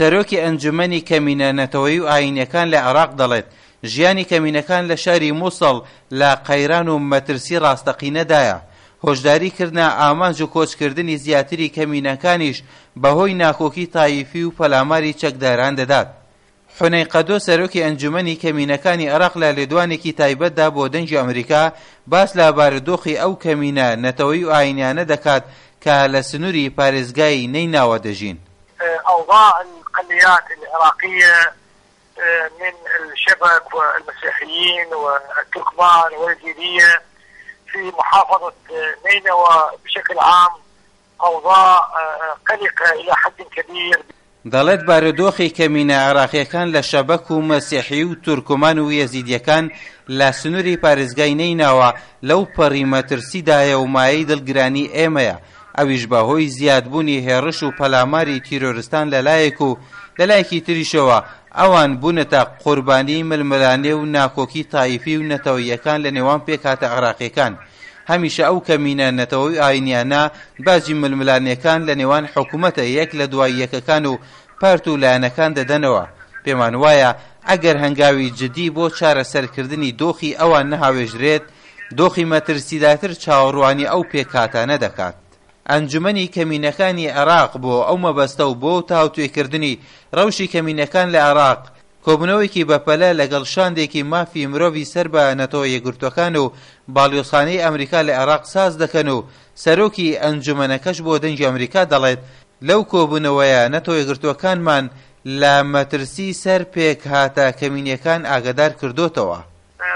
سەرۆکی ئەنجومەنی کەمینە نەتەوەیی و ئایینیەکان لە عێراق دەڵێت، ژیانی کەمینەکان لە شاری موسڵ لە قەیران و مەترسی ڕاستەقینەدایە. هۆشداری کردنە ئامانج و کۆچکردنی زیاتری کەمینەکانیش بەهۆی ناکۆکی تایفی و پەلاماری چەکداران دەدات. حونەی قەدۆ سەرۆکی ئەنجومەنی کەمینەکانی عێراق لە لێدوانێکی تایبەتدا بۆ دەنگی ئەمریکا باس لە بارودۆخی ئەو کەمینە نەتەوەیی و ئایینیانە دەکات کە لە سنوری پارێزگای نەیناوە دەژین. اوضاع الاقليات العراقية من الشبك والمسيحيين والتركمان واليزيدية في محافظة نينوى بشكل عام اوضاع قلقة الى حد كبير. دەڵێت بارودۆخی کەمینە عێراقییەکان لە شەبەک و مەسیحی و تورکمان و یەزیدییەکان لە سنوری پارێزگای نەیناوە لەو پەڕی مەترسیدایە و مایەی دڵگرانی ئێمەیە ئەویش بە هۆی زیادبوونی هێڕش و پەلاماری تیرۆرستان لە لایەک و لە لایەکی تریشەوە ئەوان بوونەتە قوربانی ململانێ و ناکۆکی تایفی و نەتەوەییەکان لە نێوان پێکهاتە عێراقییەکان. هەمیشە ئەو کەمینە نەتەوەی و ئاینیانە باجی ململانێکان لە نێوان حکومەتە یەک لە دوای یەکەکان و پارت و لایەنەکان دەدەنەوە. پێمان وایە ئەگەر هەنگاوی جدی بۆ چارەسەرکردنی دۆخی ئەوان نەهاوێژرێت، دۆخی مەترسیدارتر چاوەڕوانی ئەو پێکهاتانە دەکات. ئەنجومەنی کەمینەکانی عێراق بۆ ئەو مەبەستە و بۆ تاوتوێکردنی ڕەوشی کەمینەکان لە عێراق، کۆبوونەوەیەکی بەپەلە لەگەڵ شاندێکی مافی مرۆڤی سەر بە نەتەوە یەکگرتووەکان و باڵیۆزخانەی ئەمریکا لە عێراق ساز دەکەن و سەرۆکی ئەنجومەنەکەش بۆ دەنگی ئەمریکا دەڵێت لەو کۆبوونەوەیە نەتەوە یەکگرتووەکانمان لە مەترسی سەر پێکهاتە کەمینیەکان ئاگادار کردۆتەوە.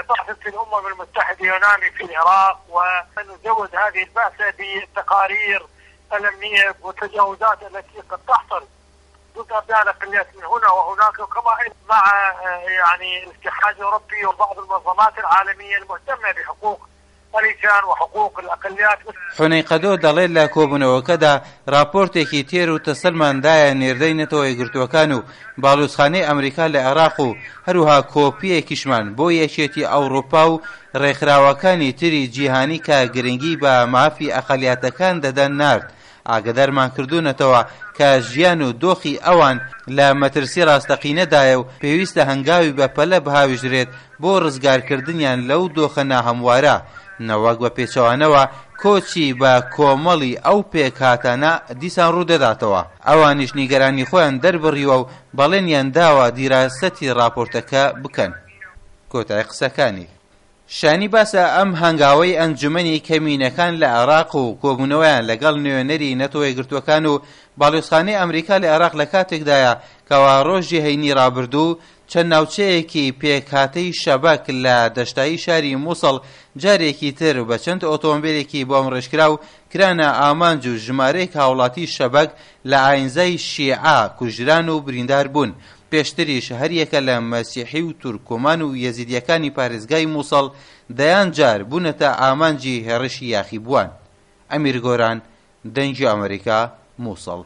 بعثة الأمم المتحدة يونامي في العراق ونزود هذه البعثة بالتقارير الأمنية والتجاوزات التي قد تحصل ضد أبناء الأقليات من هنا وهناك وكما مع يعني الاتحاد الأوروبي وبعض المنظمات العالمية المهتمة بحقوق الإنسان وحقوق الأقليات. حونەی قەدۆ دەڵێت لە کۆبوونەوەکەدا راپۆرتێکی تێر و تەسەلمان دایە نێردەی نەتەوە یەکگرتووەکان و باڵیۆزخانەی ئەمریکا لە عێراق و هەروەها کۆپییەکیشمان بۆ یەکێتی ئەوڕوپا و رێکخراوەکانی تری جیهانی کە گرنگی بە مافی ئەقەلیاتەکان دەدەن نارد ئاگەدارمان کردوونەتەوە کە ژیان و دۆخی ئەوان لە مەترسی ڕاستەقینەدایە و پێویستە هەنگاوی بەپەلە بهاویژرێت بۆ ڕزگارکردنیان لەو دۆخە ناهەموارە، نەوەک بە پێچەوانەوە کۆچی بە کۆمەڵی ئەو پێکهاتانە دیسان ڕوودەداتەوە. ئەوانیش نیگەرانی خۆیان دەربڕیوە و بەڵێنیان داوە دیراسەتی ڕاپۆرتەکە بکەن. کۆتای قسەکانی. شایانی باسە ئەم هەنگاوەی ئەنجومەنی کەمینەکان لە عێراق و کۆبوونەوەیان لەگەڵ نوێنەری نەتەوە یەکگرتووەکان و باڵیۆزخانەی ئەمریکا لە عێراق لە کاتێکدایە کەوا ڕۆژی هەینی ڕابردوو چەند ناوچەیەکی پێکهاتەی شەبەک لە دەشتایی شاری موسڵ جارێکی تر بە چەند ئۆتۆمبێلێکی بۆمڕێژکراو کرانە ئامانج و ژمارەیەک هاوڵاتی شەبەک لە ئاینزای شیعە کوژران و بریندار بوون. پێشتریش هەریەکە لە مەسیحی و تورکمان و یەزیدییەکانی پارێزگای موسڵ دەیان جار بوونەتە ئامانجی هێڕشی یاخیبووان. ئەمیر گۆران، دەنگی ئەمەریکا، موسڵ.